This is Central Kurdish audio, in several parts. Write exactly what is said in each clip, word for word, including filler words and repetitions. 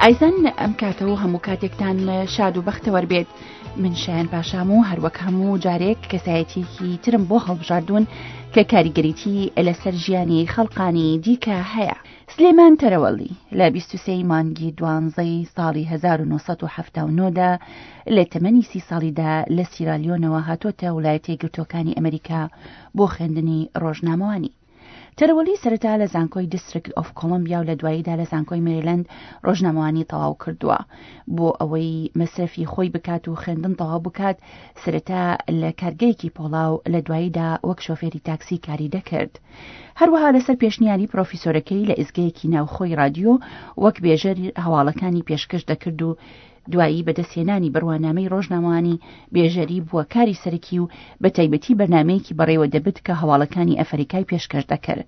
ئایزان ئەم کاتە و هەموو کاتێکتان شاد و بەختەوەر بێت. من شایان پاشام و هەروەک هەموو جارێک کەسایەتیەکی ترم بۆ هەڵبژاردوون کە کاریگەریی لەسەر ژیانی خەڵقانی دیکە هەیە. سلێمان تەرەوەلی لە بیست و سێ مانگی دوانزەی ساڵی هەزار و نۆ سەد و حەفتا و نۆ دا لە تەمەنی سی ساڵیدا لە سیرالیۆنەوە هاتۆتە ویلایەتە یەکگرتووەکانی ئەمریکا بۆ خوێندنی ڕۆژنامەوانی. تەرەوەلی سەرەتا لە زانکۆی دیستریکت ئۆف کۆڵۆمبیا و لە دواییدا لە زانکۆی مێریلەند ڕۆژنامەوانی تەواو کردووە. بۆ ئەوەی مەسرەفی خۆی بکات و خوێندن تەواو بکات، سەرەتا لە کارگەیەکی پۆڵا و لە دواییدا وەک شۆفێری تاکسی کاری دەکرد. هەروەها لەسەر پێشنیاری پرۆفیسۆرەکەی لە ئیزگەیەکی ناوخۆی رادیۆ وەک بێژەر هەواڵەکانی پێشکەش دەکرد و دوایی بەدەستهێنانی بڕوانامەی ڕۆژنامەوانی بێژەری بووە کاری سەرەکی و بە تایبەتی بەرنامەیەکی بەڕێوە دەبت کە هەواڵەکانی ئەفریکای پێشکەش دەکرد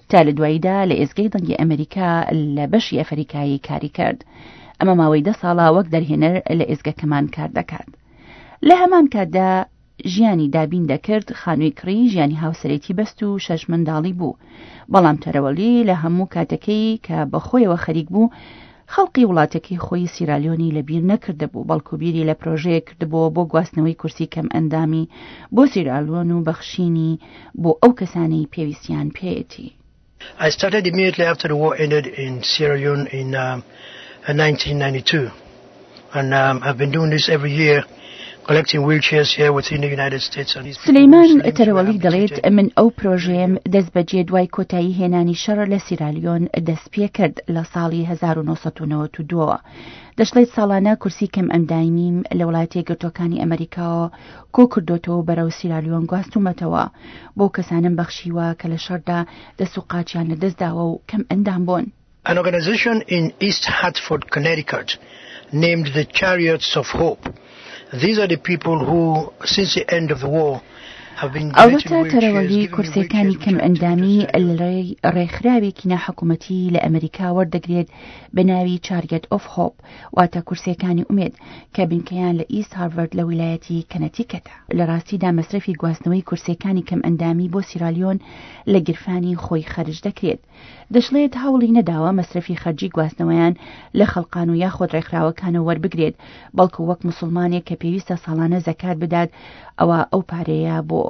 تا لە دواییدا لە ئێزگەی دەنگی ئەمریکا لە بەشی ئەفریکایی کاری کرد. ئەمە ماوەی دە ساڵە وەک دەرهێنەر لە ئێزگەکەمان کار دەکات. لە هەمان کاتدا ژیانی دابین دەکرد، خانووی کڕی، ژیانی هاوسەرێتی بەست و شەش منداڵی بوو. بەڵام تەرەوەلی لە هەموو کاتەکەی کە بەخۆیەوە خەریک بوو خەڵقی وڵاتەکەی خۆی سیرالیۆنی لەبیر نەکردبوو، بەڵکو بیری لە پرۆژەیەک کردبووە بۆ گواستنەوەی کورسی کەم ئەندامی بۆ سیرالیۆن و بەخشینی بۆ ئەو کەسانەی پێویستیان پێیەتی. I started immediately after the war ended in Sierra Leone in um, nineteen ninety-two, and um, I've been doing this every year. سلەیمان تەرەوەلی دەڵێت من ئەو پرۆژەیەم دەست بەجێ دوای کۆتایی هێنانی شەڕ لە سیرالیۆن دەست پێ کرد لە ساڵی هەزار و نۆ سەد و نەوەد و دوو. دەشڵێت ساڵانە کورسی کەم ئەندامیم لە وڵاتە یەکگرتووەکانی ئەمریکاوە کۆ کردوتەوە بەرەو سیرالیۆن گواستومەتەوە بۆ کەسانم بەخشیوە کە لە شەڕدا دەست و قاچیان لەدەستداوە و کەم ئەندام بوون. An organization in East Hartford, Connecticut, named the Chariots of Hope. These are the people who, since the end of the war, have been ئەوەتا تەرەوەلی کورسیەکانی کەم ئەندامی لە ڕێکخراوێکی ناحکومەتی لە ئەمریکا وەردەگرێت بە ناوی Chariot of Hope، واتە کورسیەکانی ئومێد کە بنکەیان لە ئیست هارڤەرد لە ویلایەتی کەنەتیکەتە. لە ڕاستیدا مەسرەفی گواستنەوەی کورسیەکانی کەم ئەندامی بۆ سیرالیۆن لە گرفانی خۆی خەرج دەکرێت. دەشڵێت هەوڵی نەداوە مەسرەفی خەرجی گواستنەوەیان لە خەڵقان و یاخۆد ڕێکخراوەکانەوە وەربگرێت، بەڵکو وەک مسلمانێک کە پێویستە ساڵانە زەکات بدات ئەوە ئەو پارەیە بۆ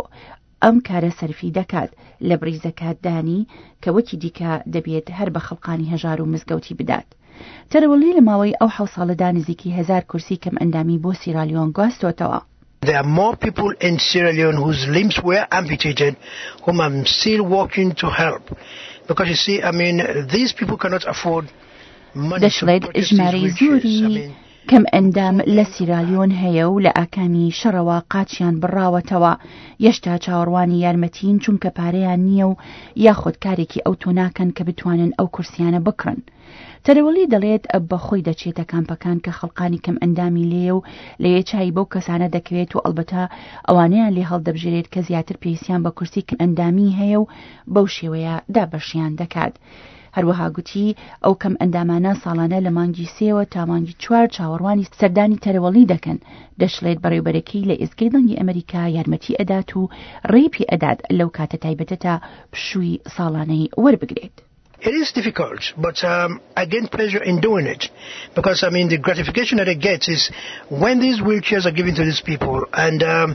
ئەم کارە سەرفی دەکات لە بڕی زەکاتدانی کە وەکی دیکە دەبێت هەر بە خەڵقانی هەژار و مزگەوتی بدات. تەرەوەلی لە ماوەی ئەو حەوت ساڵەدا نزیکی هەزار کورسی کەم ئەندامی بۆ سیرالیۆن گواستۆتەوە. There are more people in Sierra Leone whose limbs were amputated whom I'm still working to help. Because you see, I mean, these people cannot afford money to دەشڵێت purchase these ژمارەی wheelchairs. زۆری I mean, کەم ئەندام لە سیرالیۆن هەیە و لە ئاکامی شەڕەوە قاچیان بڕاوەتەوە، یەشتا چاوەڕوانی یارمەتین چونکە پارەیان نییە و یاخود کارێکی ئەو تۆ ناکەن کە بتوانن ئەو کورسیانە بکڕن. تەرەوەلی دەڵێت بە خۆی دەچێتە کامپەکان کە خەڵقانی کەم ئەندامی لێیە و لەوێ چای بەو کەسانە دەکەوێت و ئەلبەتە ئەوانەیان لێ هەڵدەبژێرێت کە زیاتر پێویستیان بە کورسی کەم ئەندامی هەیە و بەو شێوەیە دابەشیان دەکات. هەروەها گوتی ئەو کەم ئەندامانە ساڵانە لە مانگی سێوە تا مانگی چوار چاوەڕوانی سەردانی تەرەوەڵی دەکەن. دەشڵێت بەڕێوبەرەکەی لە ئێزگەی دەنگی ئەمریکا یارمەتی ئەدات و ڕێی پێ ئەدات لەو کاتە تایبەتە تا پشووی ساڵانەی وەربگرێت. It is difficult, but um, I gain pleasure in doing it because, I mean, the gratification that I get is when these wheelchairs are given to these people and um,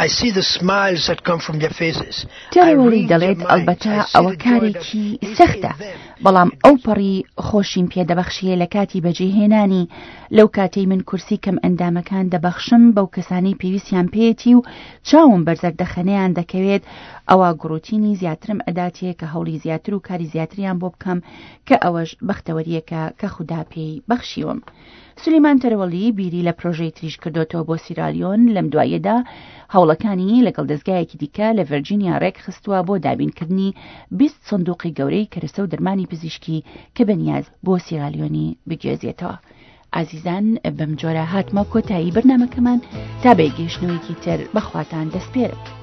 I see the smiles that come from their faces. I تەرەوەلی read their دەڵێت minds. ئەلبەتە I see ئەوە the joy that کارێکی is in سەختە، them. بەڵام ئەو پەڕی خۆشیم پێدەبەخشیە لە کاتی بەجێهێنانی. لەو کاتەی من کورسی کەم ئەندامەکان دەبەخشم بەو کەسانەی پێویستیان پێیەتی و چاوم بەرزەردەخەنەیان دەکەوێت، ئەوە گڕوتینی زیاترم ئەداتێ کە هەوڵی زیاتر و کاری زیاتریان بۆ بکەم کە ئەوەش بەختەوەریەکە کە خودا پێی بەخشیوم. سلیمان تەرەوەلی بیری لە پرۆژەی تریش کردوتەوە بۆ سیرالیۆن. لەم دوایەدا هەوڵەکانی لەگەڵ دەستگایەکی دیکە لە ڤێرجینیا ڕێکخستووە بۆ دابینکردنی بیست سندوقی گەورەی کەرەسە و دەرمانی پزیشکی کە بەنیاز بۆ سیرالیۆنی بگوێزێتەوە. ئازیزان، بەم جۆرە هاتمە کۆتایی بەرنامەکەمان تا بەگەیشتنەوەیەکی تر بەخواتان دەسپێرم.